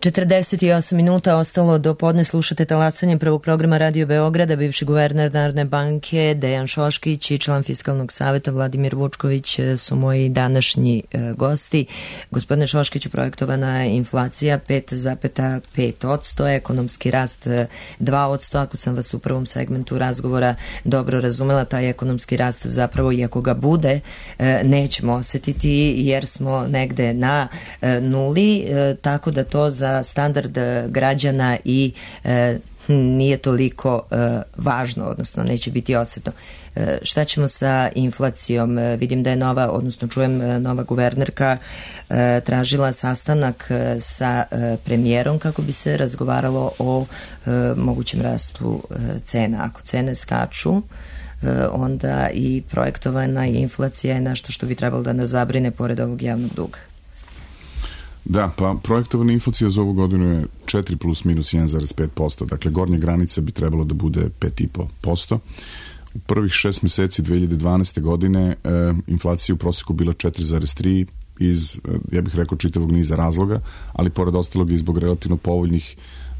četrdeset osam minuta ostalo do podne, slušate talasanje prvog programa Radio Beograda. Bivši guverner Narodne banke Dejan Šoškić i član Fiskalnog saveta Vladimir Vučković su moji današnji e, gosti. Gospodine Šoškiću, projektovana inflacija pet zarez pet posto, ekonomski rast dva posto. Ako sam vas u prvom segmentu razgovora dobro razumela, taj ekonomski rast zapravo, iako ga bude, e, nećemo osetiti jer smo negde na e, nuli, e, tako da to za standard građana i e, nije toliko e, važno, odnosno neće biti osetno. E, šta ćemo sa inflacijom? E, vidim da je nova, odnosno čujem e, nova guvernerka e, tražila sastanak e, sa e, premijerom kako bi se razgovaralo o e, mogućem rastu e, cena. Ako cene skaču, e, onda i projektovana inflacija je nešto što bi trebalo da nas zabrine pored ovog javnog duga. Da, pa projektovana inflacija za ovu godinu je četiri plus minus jedan zarez pet posto, dakle gornja granica bi trebalo da bude pet i po posto. U prvih šest meseci dve hiljade dvanaeste godine e, inflacija u proseku bila četiri zarez tri iz, ja bih rekao, čitavog niza razloga, ali pored ostalog i zbog relativno povoljnih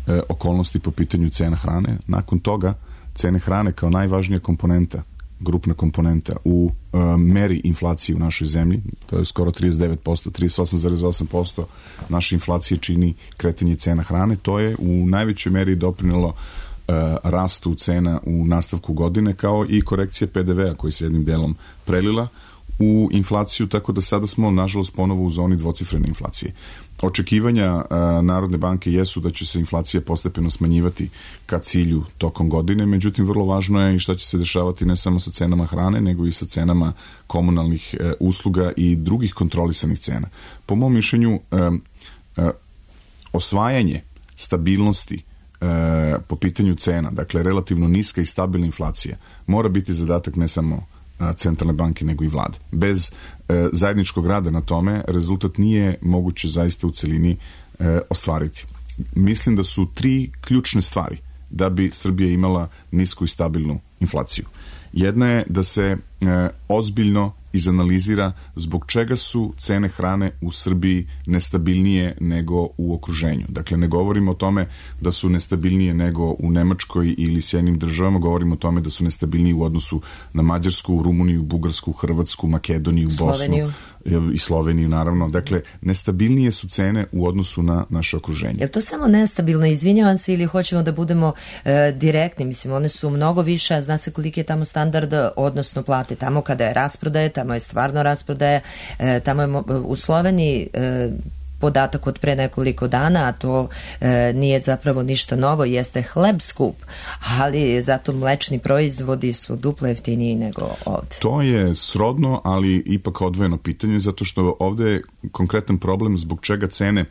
e, okolnosti po pitanju cena hrane. Nakon toga cene hrane kao najvažnija komponenta, grupna komponenta u uh, meri inflacije u našoj zemlji, to je skoro trideset devet posto, trideset osam zarez osam posto naše inflacije čini kretanje cena hrane. To je u najvećoj meri doprinelo uh, rastu cena u nastavku godine, kao i korekcija pe de vea koji se jednim delom prelila u inflaciju, tako da sada smo nažalost ponovo u zoni dvocifrene inflacije. Očekivanja uh, Narodne banke jesu da će se inflacija postepeno smanjivati ka cilju tokom godine, međutim vrlo važno je i šta će se dešavati ne samo sa cenama hrane, nego i sa cenama komunalnih uh, usluga i drugih kontrolisanih cena. Po mom mišljenju, uh, uh, osvajanje stabilnosti uh, po pitanju cena, dakle relativno niska i stabilna inflacija, mora biti zadatak ne samo centralne banke nego i vlade. Bez e, zajedničkog rada na tome rezultat nije moguće zaista u celini e, ostvariti. Mislim da su tri ključne stvari da bi Srbija imala nisku i stabilnu inflaciju. Jedna je da se e, ozbiljno izanalizira zbog čega su cene hrane u Srbiji nestabilnije nego u okruženju. Dakle, ne govorimo o tome da su nestabilnije nego u Nemačkoj ili Sjedinjenim državama, govorimo o tome da su nestabilniji u odnosu na Mađarsku, Rumuniju, Bugarsku, Hrvatsku, Makedoniju, Sloveniju. Bosnu i Sloveniju, naravno. Dakle, nestabilnije su cene u odnosu na naše okruženje. Je to samo nestabilno, izvinjavam se, ili hoćemo da budemo e, direktni? Mislim, one su mnogo više, a zna se koliki je tamo standard, odnosno plate. Tamo kada je rasprodaje, tamo je stvarno rasprodaja, e, tamo je u Sloveniji e, podatak od pre nekoliko dana, a to e, nije zapravo ništa novo, jeste hleb skup, ali zato mlečni proizvodi su duplo jeftiniji nego ovde. To je srodno, ali ipak odvojeno pitanje, zato što ovde je konkretan problem zbog čega cene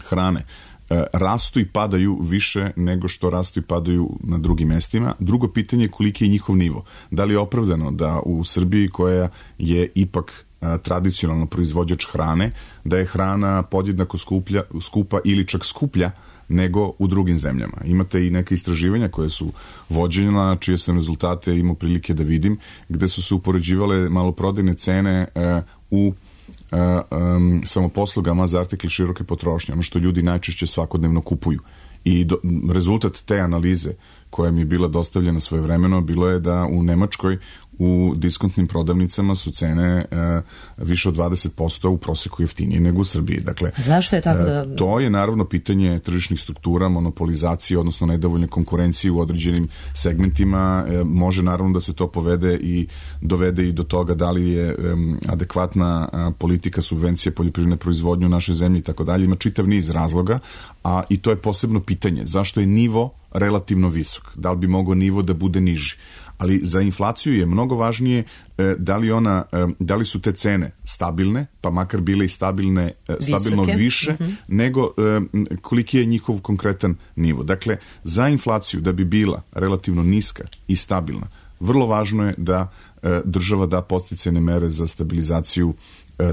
hrane e, rastu i padaju više nego što rastu i padaju na drugim mestima. Drugo pitanje je koliki je njihov nivo. Da li je opravdano da u Srbiji, koja je ipak tradicionalno proizvođač hrane, da je hrana podjednako skuplja, skupa ili čak skuplja nego u drugim zemljama. Imate i neke istraživanja koje su vođena, čije sam rezultate imao prilike da vidim, gde su se upoređivale maloprodajne cene e, u e, e, samoposlugama za artikle široke potrošnje, ono što ljudi najčešće svakodnevno kupuju. I do, rezultat te analize koja mi je bila dostavljena svojevremeno bilo je da u Nemačkoj u diskontnim prodavnicama su cene e, više od dvadeset posto u proseku jeftinije nego u Srbiji. Dakle, zašto je tako da... E, to je naravno pitanje tržišnih struktura, monopolizacije, odnosno nedovoljne konkurencije u određenim segmentima. E, može naravno da se to povede i dovede i do toga da li je e, adekvatna a, politika subvencije poljoprivredne proizvodnje u našoj zemlji i tako dalje. Ima čitav niz razloga, a i to je posebno pitanje. Zašto je nivo relativno visok? Da li bi mogao nivo da bude niži? Ali za inflaciju je mnogo važnije e, da li ona, e, da li su te cene stabilne, pa makar bile i stabilne, e, stabilno Visoke. više, mm-hmm. nego e, koliki je njihov konkretan nivo. Dakle, za inflaciju da bi bila relativno niska i stabilna, vrlo važno je da e, država da podsticajne mere za stabilizaciju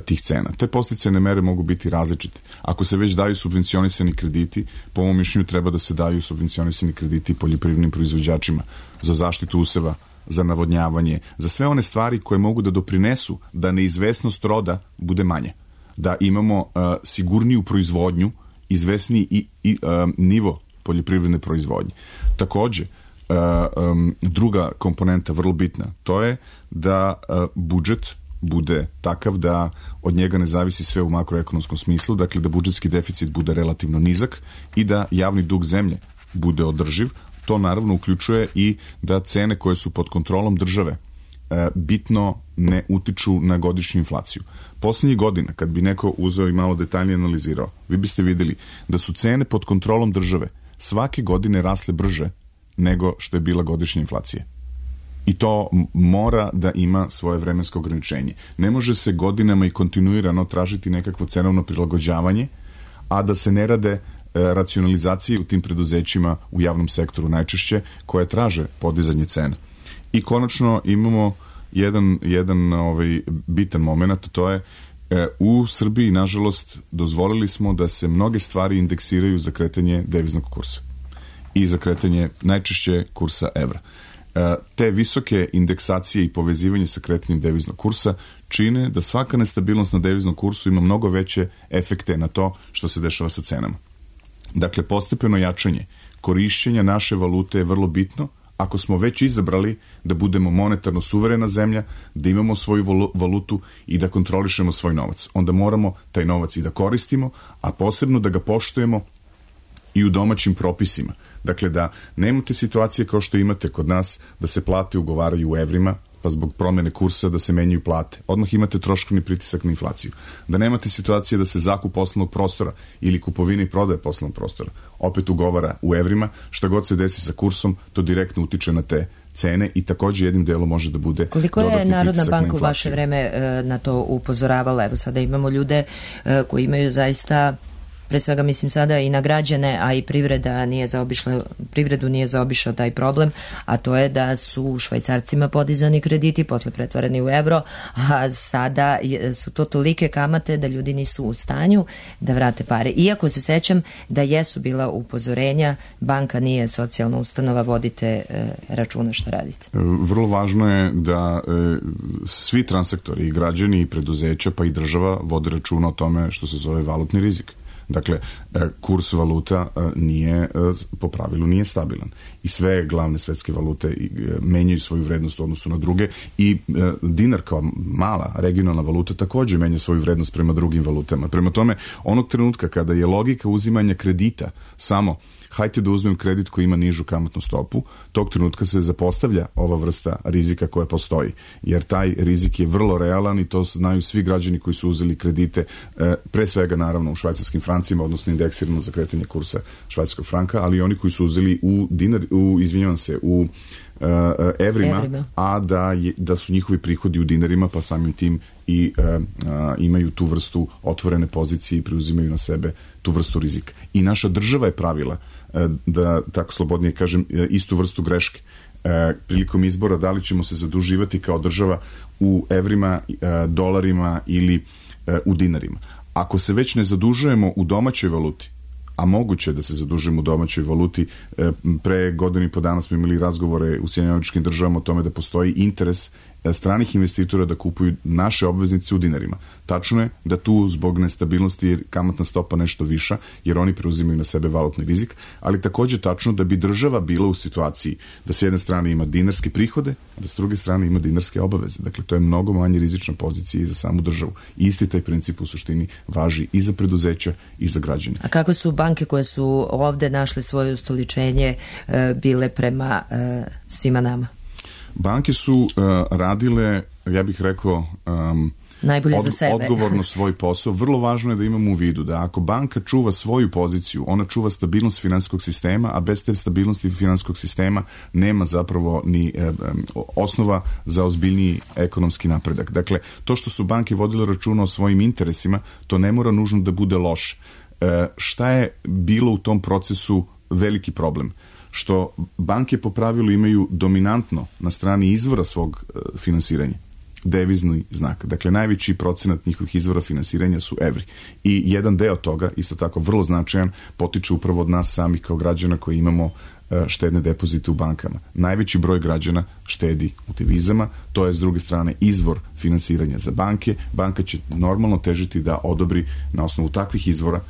tih cena. Te podsticajne mere mogu biti različite. Ako se već daju subvencionisani krediti, po mom mišljenju treba da se daju subvencionisani krediti poljoprivrednim proizvođačima za zaštitu useva, za navodnjavanje, za sve one stvari koje mogu da doprinesu da neizvesnost roda bude manja. Da imamo uh, sigurniju proizvodnju izvesniji i, i um, nivo poljoprivredne proizvodnje. Takođe, uh, um, druga komponenta vrlo bitna, to je da uh, budžet bude takav da od njega ne zavisi sve u makroekonomskom smislu, dakle da budžetski deficit bude relativno nizak i da javni dug zemlje bude održiv. To naravno uključuje i da cene koje su pod kontrolom države e, bitno ne utiču na godišnju inflaciju. Poslednjih godina, kad bi neko uzeo i malo detaljnije analizirao, vi biste videli da su cene pod kontrolom države svake godine rasle brže nego što je bila godišnja inflacija. I to mora da ima svoje vremensko ograničenje. Ne može se godinama i kontinuirano tražiti nekakvo cenovno prilagođavanje, a da se ne rade racionalizacije u tim preduzećima u javnom sektoru najčešće koje traže podizanje cena. I konačno imamo jedan, jedan ovaj, bitan moment, to je e, u Srbiji, nažalost, dozvolili smo da se mnoge stvari indeksiraju za kretanje deviznog kursa i za kretanje najčešće kursa evra. E, te visoke indeksacije i povezivanje sa kretanjem deviznog kursa čine da svaka nestabilnost na deviznom kursu ima mnogo veće efekte na to što se dešava sa cenama. Dakle, postepeno jačanje korišćenja naše valute je vrlo bitno ako smo već izabrali da budemo monetarno suverena zemlja, da imamo svoju valutu i da kontrolišemo svoj novac. Onda moramo taj novac i da koristimo, a posebno da ga poštujemo i u domaćim propisima. Dakle, da nemate situacije kao što imate kod nas, da se plate ugovaraju u evrima, pa zbog promene kursa da se menjaju plate. Odmah imate troškovni pritisak na inflaciju. Da nemate situacije da se zakup poslovnog prostora ili kupovina i prodaje poslovnog prostora opet ugovara u evrima, šta god se desi sa kursom, to direktno utiče na te cene i takođe jednim delom može da bude koliko je Narodna banka u vaše vreme na to upozoravala? Evo sada imamo ljude koji imaju zaista, pre svega mislim sada i na građane, a i privreda nije zaobišla, privredu nije zaobišao taj problem, a to je da su švajcarcima podizani krediti, posle pretvarani u evro, a sada su to tolike kamate da ljudi nisu u stanju da vrate pare. Iako se sećam da jesu bila upozorenja, banka nije socijalna ustanova, vodite e, računa šta radite. Vrlo važno je da e, svi transaktori, i građani, i preduzeća, pa i država vode računa o tome što se zove valutni rizik. Dakle, kurs valuta nije, po pravilu nije stabilan. I sve glavne svetske valute menjaju svoju vrednost u odnosu na druge i dinar kao mala regionalna valuta takođe menja svoju vrednost prema drugim valutama. Prema tome, onog trenutka kada je logika uzimanja kredita samo hajte da uzmem kredit koji ima nižu kamatnu stopu, tog trenutka se zapostavlja ova vrsta rizika koja postoji. Jer taj rizik je vrlo realan i to znaju svi građani koji su uzeli kredite, pre svega naravno u švajcarskim francima, odnosno indeksirano za kretanje kursa švajcarskog franka, ali i oni koji su uzeli u dinar, u, izvinjavam se, u Uh, evrima, evrima, a da, je, da su njihovi prihodi u dinarima, pa samim tim i uh, uh, imaju tu vrstu otvorene pozicije i preuzimaju na sebe tu vrstu rizika. I naša država je pravila, uh, da tako slobodnije kažem, uh, istu vrstu greške. Uh, prilikom izbora da li ćemo se zaduživati kao država u evrima, uh, dolarima ili uh, u dinarima. Ako se već ne zadužujemo u domaćoj valuti, a moguće da se zadužimo u domaćoj valuti. Pre godinu i po dana smo imali razgovore u Sjedinjenim Američkim Državama o tome da postoji interes stranih investitora da kupuju naše obveznice u dinarima. Tačno je da tu zbog nestabilnosti je kamatna stopa nešto viša, jer oni preuzimaju na sebe valutni rizik, ali takođe tačno da bi država bila u situaciji da s jedne strane ima dinarske prihode, a da s druge strane ima dinarske obaveze. Dakle, to je mnogo manje rizična pozicija i za samu državu. I isti taj princip u suštini važi i za preduzeća i za građane. A kako su banke koje su ovde našle svoje ustoličenje bile prema svima nama? Banke su uh, radile, ja bih rekao, um, najbolje od, za sebe. Odgovorno svoj posao. Vrlo važno je da imamo u vidu da ako banka čuva svoju poziciju, ona čuva stabilnost finansijskog sistema, a bez te stabilnosti finansijskog sistema nema zapravo ni eh, osnova za ozbiljniji ekonomski napredak. Dakle, to što su banke vodile računa o svojim interesima, to ne mora nužno da bude loše. Eh, šta je bilo u tom procesu veliki problem? Što banke po pravilu imaju dominantno na strani izvora svog e, finansiranja devizni znak. Dakle, najveći procenat njihovih izvora finansiranja su evri. I jedan deo toga, isto tako vrlo značajan, potiče upravo od nas samih kao građana koji imamo e, štedne depozite u bankama. Najveći broj građana štedi u devizama, to je s druge strane izvor finansiranja za banke. Banka će normalno težiti da odobri na osnovu takvih izvora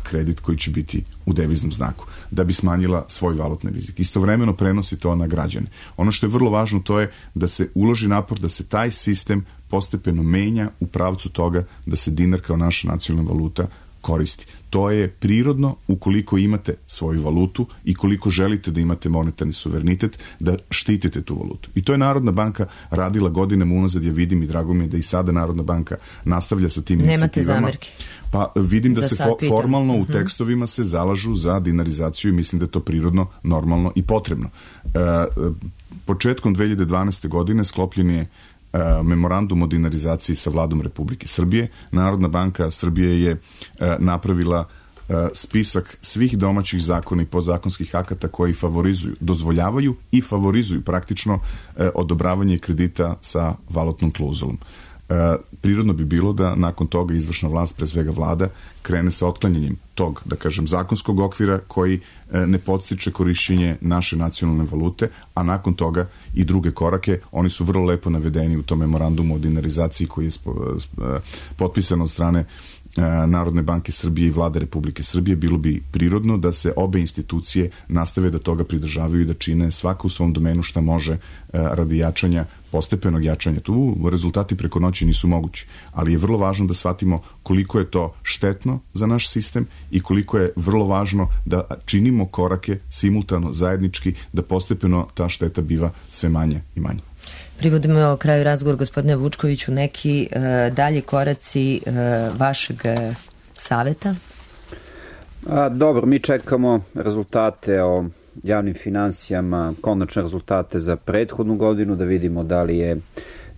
kredit koji će biti u deviznom znaku, da bi smanjila svoj valutni rizik. Istovremeno prenosi to na građane. Ono što je vrlo važno to je da se uloži napor, da se taj sistem postepeno menja u pravcu toga da se dinar kao naša nacionalna valuta koristi. To je prirodno ukoliko imate svoju valutu i koliko želite da imate monetarni suverenitet, da štitite tu valutu. I to je Narodna banka radila godinama unazad, ja vidim i drago mi je da i sada Narodna banka nastavlja sa tim Nemate inicijativama. zamerke? Pa vidim da Za se sad fo- pitam. formalno u Mhm. tekstovima se zalažu za dinarizaciju i mislim da je to prirodno, normalno i potrebno. E, početkom dve hiljade dvanaeste. godine sklopljen je memorandum o dinarizaciji sa vladom Republike Srbije. Narodna banka Srbije je napravila spisak svih domaćih zakona i podzakonskih akata koji favorizuju, dozvoljavaju i favorizuju praktično odobravanje kredita sa valutnom klauzulom. Prirodno bi bilo da nakon toga izvršna vlast, pre svega vlada, krene sa otklanjanjem tog, da kažem, zakonskog okvira koji ne podstiče korišćenje naše nacionalne valute, a nakon toga i druge korake. Oni su vrlo lepo navedeni u tom memorandumu o dinarizaciji koji je potpisan od strane Narodne banke Srbije i vlade Republike Srbije. Bilo bi prirodno da se obe institucije nastave da toga pridržavaju i da čine svaka u svom domenu šta može radi jačanja, postepenog jačanja. Tu rezultati preko noći nisu mogući, ali je vrlo važno da shvatimo koliko je to štetno za naš sistem i koliko je vrlo važno da činimo korake simultano, zajednički, da postepeno ta šteta biva sve manje i manje. Privodimo o kraju razgovor, gospodine Vučkoviću, neki e, dalji koraci e, vašeg e, saveta? A, dobro, mi čekamo rezultate o javnim finansijama, konačne rezultate za prethodnu godinu, da vidimo da li je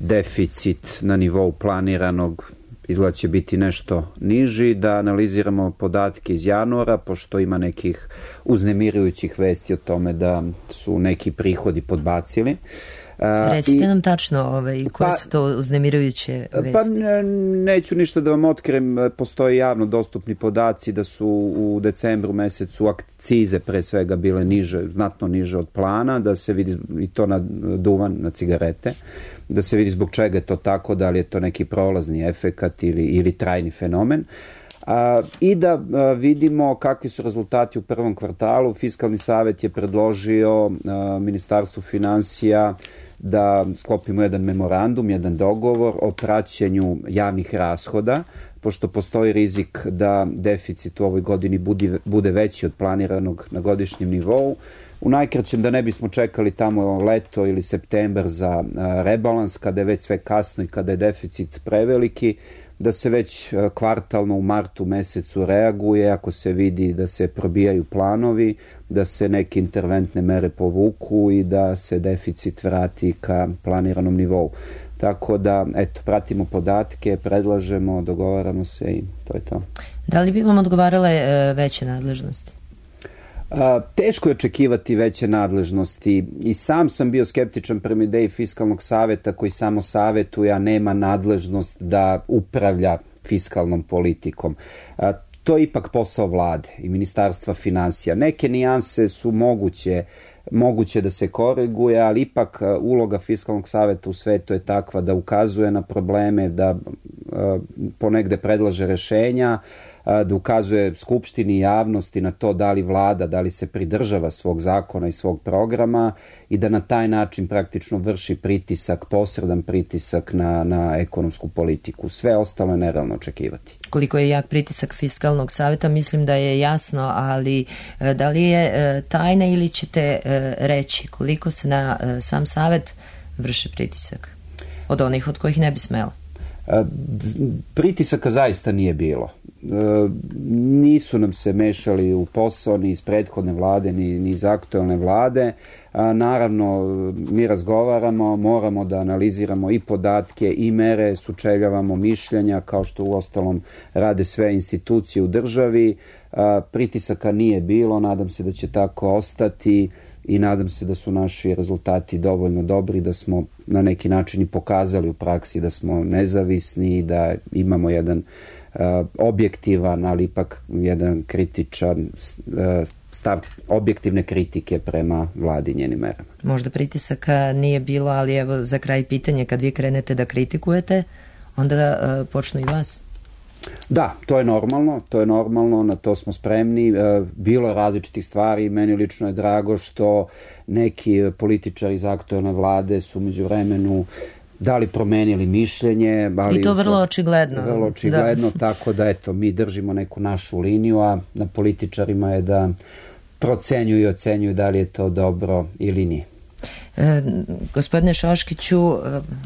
deficit na nivou planiranog, izgleda će biti nešto niži, da analiziramo podatke iz januara, pošto ima nekih uznemirujućih vesti o tome da su neki prihodi podbacili. Recite I, nam tačno ovaj, koje pa, su to uznemirujuće vesti. Pa ne, neću ništa da vam otkrijem, postoje javno dostupni podaci da su u decembru mesecu akcize pre svega bile niže, znatno niže od plana, da se vidi i to na duvan, na cigarete, da se vidi zbog čega je to tako, da li je to neki prolazni efekat ili, ili trajni fenomen. A, i da a, vidimo kakvi su rezultati u prvom kvartalu. Fiskalni savet je predložio a, Ministarstvu finansija da sklopimo jedan memorandum, jedan dogovor o praćenju javnih rashoda, pošto postoji rizik da deficit u ovoj godini bude, bude veći od planiranog na godišnjem nivou. U najkraćem, da ne bismo čekali tamo leto ili septembar za a, rebalans, kada je već sve kasno i kada je deficit preveliki, da se već kvartalno u martu mesecu reaguje ako se vidi da se probijaju planovi, da se neke interventne mere povuku i da se deficit vrati ka planiranom nivou. Tako da, eto, pratimo podatke, predlažemo, dogovaramo se i to je to. Da li bi vam odgovarale e, veće nadležnosti? A, teško je očekivati veće nadležnosti i sam sam bio skeptičan prema ideji Fiskalnog saveta koji samo savetuje, a nema nadležnost da upravlja fiskalnom politikom. A, to je ipak posao vlade i Ministarstva finansija. Neke nijanse su moguće, moguće da se koriguje, ali ipak uloga Fiskalnog saveta u svetu je takva da ukazuje na probleme, da a, ponegde predlaže rešenja, da ukazuje Skupštini i javnosti na to da li vlada, da li se pridržava svog zakona i svog programa i da na taj način praktično vrši pritisak, posredan pritisak na, na ekonomsku politiku. Sve ostalo je nerealno očekivati. Koliko je jak pritisak Fiskalnog saveta, mislim da je jasno, ali da li je tajna ili ćete reći koliko se na sam savet vrši pritisak od onih od kojih ne bi smela? Pritisaka zaista nije bilo. Nisu nam se mešali u posao ni iz prethodne vlade, ni, ni iz aktuelne vlade. Naravno, mi razgovaramo, moramo da analiziramo i podatke i mere, sučeljavamo mišljenja, kao što u ostalom rade sve institucije u državi. Pritisaka nije bilo, nadam se da će tako ostati i nadam se da su naši rezultati dovoljno dobri, da smo na neki način i pokazali u praksi da smo nezavisni i da imamo jedan uh, objektivan, ali ipak jedan kritičan uh, stav objektivne kritike prema vladi i njenim merama. Možda pritisaka nije bilo, ali evo za kraj pitanje, kad vi krenete da kritikujete, onda uh, počnu i vas. Da, to je normalno, to je normalno, na to smo spremni. E, bilo je različitih stvari, meni lično je drago što neki političari iz aktuelne vlade su među vremenu da li promenili mišljenje. Ali I to vrlo očigledno. Vrlo očigledno, da. Tako da eto, mi držimo neku našu liniju, a na političarima je da procenjuju i ocenjuju da li je to dobro ili nije. E, gospodine Šoškiću,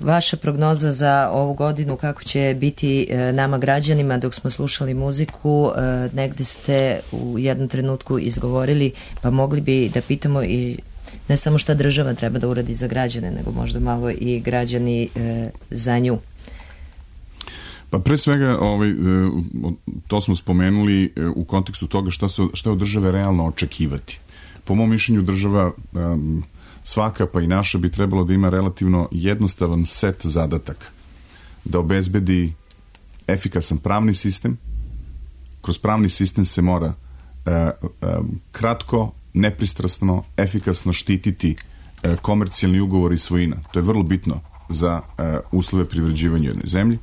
vaša prognoza za ovu godinu, kako će biti nama građanima? Dok smo slušali muziku, negde ste u jednom trenutku izgovorili, pa mogli bi da pitamo i ne samo šta država treba da uradi za građane, nego možda malo i građani e, za nju. Pa pre svega, ovaj, to smo spomenuli u kontekstu toga šta, se, šta je od države realno očekivati. Po mom mišljenju država um, svaka, pa i naša, bi trebalo da ima relativno jednostavan set zadataka. Da obezbedi efikasan pravni sistem. Kroz pravni sistem se mora uh, um, kratko, nepristrasno, efikasno štititi uh, komercijalni ugovor i svojina. To je vrlo bitno za uh, uslove privređivanja jedne zemlje.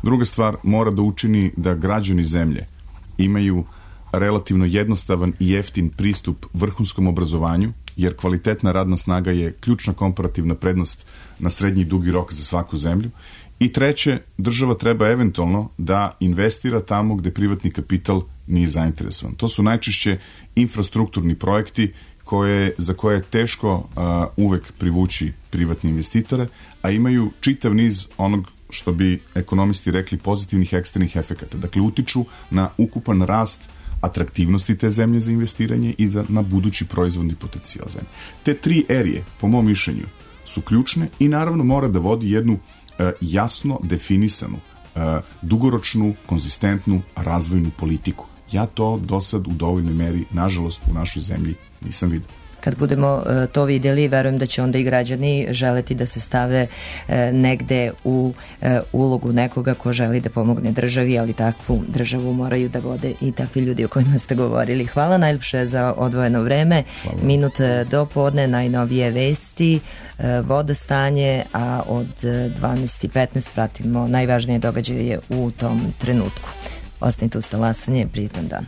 Druga stvar, mora da učini da građani zemlje imaju relativno jednostavan i jeftin pristup vrhunskom obrazovanju, jer kvalitetna radna snaga je ključna komparativna prednost na srednji i dugi rok za svaku zemlju. I treće, država treba eventualno da investira tamo gde privatni kapital nije zainteresovan. To su najčešće infrastrukturni projekti koje, za koje je teško uh, uvek privući privatne investitore, a imaju čitav niz onog što bi ekonomisti rekli pozitivnih eksternih efekata. Dakle, utiču na ukupan rast atraktivnosti te zemlje za investiranje i za, na budući proizvodni potencijal zemlje. Te tri erije, po mom mišljenju, su ključne i naravno mora da vodi jednu e, jasno definisanu, e, dugoročnu, konzistentnu razvojnu politiku. Ja to do sad u dovoljnoj meri, nažalost, u našoj zemlji nisam vidio. Kad budemo e, to vidjeli, verujem da će onda i građani želeti da se stave e, negde u e, ulogu nekoga ko želi da pomogne državi, ali takvu državu moraju da vode i takvi ljudi o kojima ste govorili. Hvala najljepše za odvojeno vreme. Hvala. Minut do podne, najnovije vesti, e, vodostanje, a od dvanaest i petnaest pratimo najvažnije događaje u tom trenutku. Ostanite uz talasanje, prijetan dan.